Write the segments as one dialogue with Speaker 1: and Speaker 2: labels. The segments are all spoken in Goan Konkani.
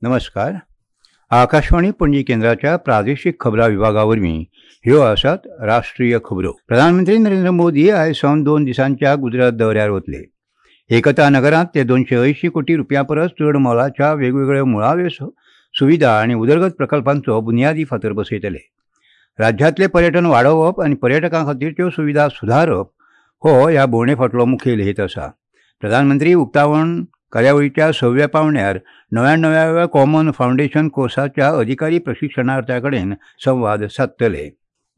Speaker 1: नमस्कार. आकाशवाणी पणजी केंद्राच्या प्रादेशीक खबरां विभागा वरवीं ह्यो आसात राष्ट्रीय खबरो. प्रधानमंत्री नरेंद्र मोदी आयज सावन 2 दिसांच्या गुजरात दौऱ्यार वतले. एकता नगरांत ते 280 कोटी रुपया परस चड मोलाच्या वेगवेगळ्यो मुळाव्यो सुविधा आनी उदरगत प्रकल्पांचो बुन्यादी फातर बसयतले. राज्यांतलें पर्यटन वाडोवप आनी पर्यटकां खातीरच्यो सुविधा सुदारप हो ह्या भोंवडे फाटलो मुखेल हेत आसा. प्रधानमंत्री उक्तावण कार्यावळीच्या 6व्या पावंड्यार 99व्या कॉमन फावंडेशन कोर्साच्या अधिकारी प्रशिक्षणार्थ्यां कडेन संवाद सादतले.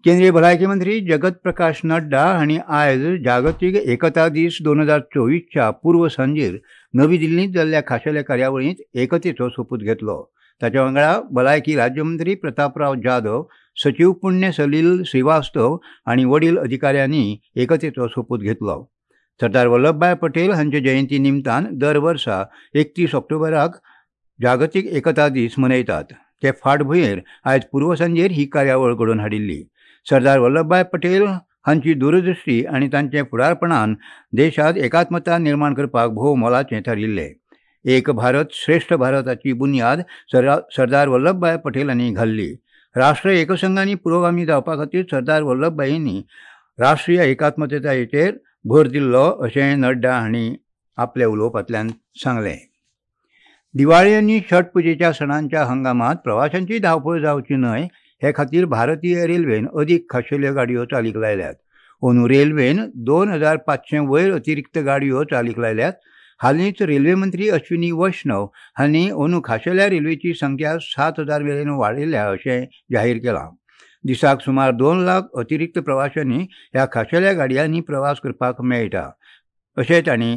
Speaker 1: केंद्रीय भलायकी मंत्री जगत प्रकाश नड्डा हांणी आयज जागतीक एकता दीस 2024च्या पूर्व सांजेर नवी दिल्लींत जाल्ल्या खाशेल्या कार्यावळींत एकतेचो सोपूत घेतलो. ताच्या वांगडा भलायकी राज्यमंत्री प्रतापराव जाधव, सचीव पुण्य सलील श्रीवास्तव आनी वडील अधिकाऱ्यांनी एकतेचो सोपूत घेतलो. सरदार वल्लभभाई पटेल हांचे जयंती निमतान दर वर्सा 31 ऑक्टोबराक जागतीक एकता दीस मनयतात. ते फाटभुंयेर आयज पूर्वसांजेर ही कार्यावळ घडोवन हाडिल्ली. सरदार वल्लभभाई पटेल हांची दूरदृश्टी आनी तांचे फुडारपणान देशांत एकात्मता निर्माण करपाक भोव मोलाचें थारिल्लें. एक भारत श्रेष्ठ भारताची बुन्याद सरदार वल्लभभाई पटेल हांणी घाल्ली. राष्ट्र एकसंघांनी पुरोगामी जावपा खातीर सरदार वल्लभभाईंनी राष्ट्रीय एकात्मतायेचेर भर दिल्लो अशें नड्डा हांणी आपल्या उलोवपांतल्यान सांगलें. दिवाळी आनी छठ पुजेच्या सणांच्या हंगामांत प्रवाशांची धांवपळ जावची न्हय हे खातीर भारतीय रेल्वेन अदीक खाशेल्यो गाडयो चालीक लायल्यात. अंदू रेल्वेन 2500 वयर अतिरिक्त गाडयो चालीक लायल्यात. हालींच रेल्वे मंत्री अश्विनी वैष्णव हांणी अंदू खाशेल्या रेल्वेची संख्या 7000 मेरेन वाडयल्या अशें जाहीर केलां. दिसाक सुमार 2 लाख अतिरिक्त प्रवाशांनी ह्या खाशेल्या गाडयांनी प्रवास करपाक मेळटा अशें तांणी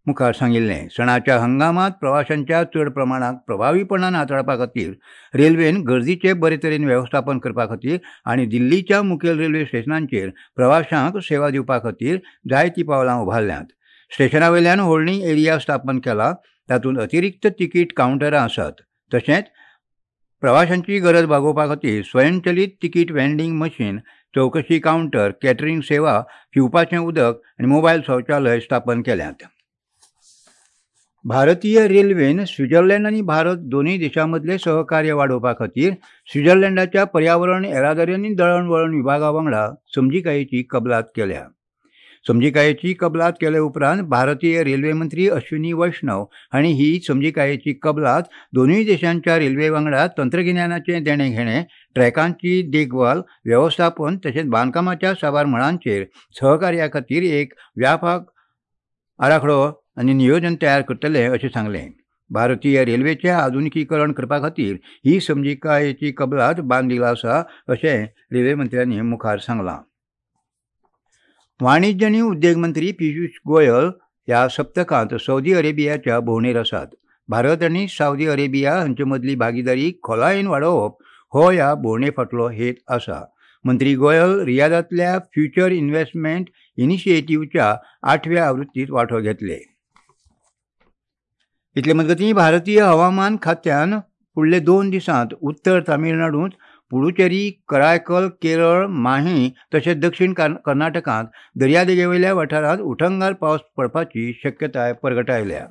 Speaker 1: मुखार सांगिल्लें. सणाच्या हंगामांत प्रवाशांच्या चड प्रमाणाक प्रभावीपणान हाताळपा खातीर रेल्वेन गर्दीचें बरे तरेन वेवस्थापन करपा खातीर आनी दिल्लीच्या मुखेल रेल्वे स्टेशनांचेर प्रवाशांक सेवा दिवपा खातीर जायतीं पावलां उबारल्यांत. स्टेशना वयल्यान होल्डिंग एरिया स्थापन केला, तातूंत अतिरिक्त तिकीट कावंटरां आसात. तशेंच प्रवाशांची गरज भागोवपा खातीर स्वयंचलीत तिकीट व्हेंडिंग मशीन, चवकशी कावंटर, कॅटरींग सेवा, पिवपाचें उदक आनी मोबायल शौचालय स्थापन केल्यात. भारतीय रेल्वेन स्वित्झर्लंड आनी भारत दोनूय देशां मदलें सहकार्य वाडोवपा खातीर स्वित्झर्लंडाच्या पर्यावरण, येरादारी आनी दळणवळण विभागा वांगडा समजिकायेची कबलात केल्या. समजिकायेची कबलात केले उपरांत भारतीय रेल्वे मंत्री अश्विनी वैष्णव हांणी ही समजिकायेची कबलात दोनूय देशांच्या रेल्वे वांगडा तंत्रगिन्यानाचें देणें घेणें, ट्रॅकांची देखभाल, वेवस्थापन तशेंच बांदकामाच्या साबार मळांचेर सहकार्या खातीर एक व्यापक आराखडो आनी नियोजन तयार करतले अशें सांगलें. भारतीय रेल्वेचें आधुनिकीकरण करपा खातीर ही समजिकायेची कबलात बांदील आसा अशें रेल्वे मंत्र्यांनी मुखार सांगलां. वाणिज्य आनी उद्देग मंत्री पियुष गोयल ह्या सप्तकांत सौदी अरेबियाच्या भोंवडेर आसात. भारत आनी सावदी अरेबिया हांचे मदली भागीदारी खोलायेन वाडोवप हो ह्या भोंवडे फाटलो हेत आसा. मंत्री गोयल रियादांतल्या फ्युचर इन्व्हेस्टमेंट इनिशिएटिव्हच्या 8व्या आवृत्तीत वांटो घेतले. इतले मजगतीं भारतीय हवामान खात्यान फुडले 2 दिसांत उत्तर तामिळनाडूंत, पुडुचेरी, करायकल, केरळ, माही तशेंच दक्षिण कर्नाटकांत दर्यादेगेवयल्या वाठारांत उटंगार पावस पडपाची शक्यताय परगटायल्या.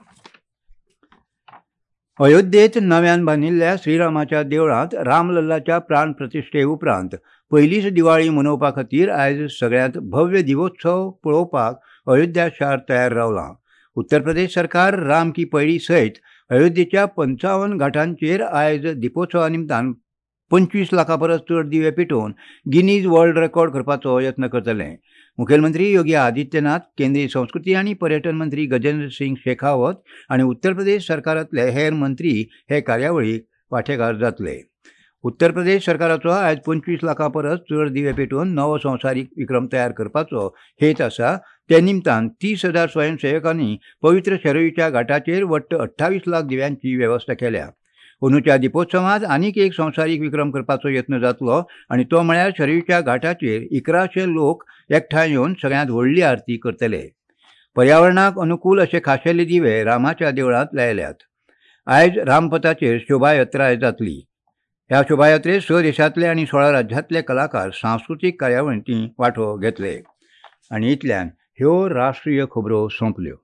Speaker 1: अयोध्येत नव्यान बांदिल्ल्या श्रीरामाच्या देवळांत रामलल्लाच्या प्राण प्रतिश्ठे उपरांत पयलीच दिवाळी मनोवपा खातीर आयज सगळ्यांत भव्य दिवोत्सव पळोवपाक अयोध्या शार तयार रावलां. उत्तर प्रदेश सरकार राम की पैडी सयत अयोध्येच्या 55 घाटांचेर आयज दिपोत्सवा निमतान 25 लाखां परस चड दिवे पेटोवन गिनीज वर्ल्ड रेकॉर्ड करपाचो यत्न करतले. मुखेलमंत्री योगी आदित्यनाथ, केंद्रीय संस्कृती आनी पर्यटन मंत्री गजेंद्र सिंग शेखावत आनी उत्तर प्रदेश सरकारांतले हेर मंत्री हे कार्यावळीक वांटेकार जातले. उत्तर प्रदेश सरकाराचो आयज 25 लाखां परस चड दिवे पेटोवन नवो संवसारीक विक्रम तयार करपाचो हेत आसा. ते निमतान 30,000 स्वयंसेवकांनी पवित्र शरयूच्या घाटाचेर वट्ट 28 लाख दिव्यांची वेवस्था केल्या. अंदूच्या दिपोत्सवांत आनीक एक संवसारीक विक्रम करपाचो यत्न जातलो आनी तो म्हळ्यार शरयूच्या घाटाचेर 1100 लोक एकठांय येवन सगळ्यांत व्हडली आरती करतले. पर्यावरणाक अनुकूल अशे खाशेले दिवे रामाच्या देवळांत लायल्यात. आयज रामपथाचेर शोभायात्राय जातली. ह्या शोभायात्रेत 6 देशांतले आनी 16 राज्यांतले कलाकार सांस्कृतीक कार्यावळींनी वांटो घेतले. आनी इतल्यान ह्यो राष्ट्रीय खबरो सोंपल्यो.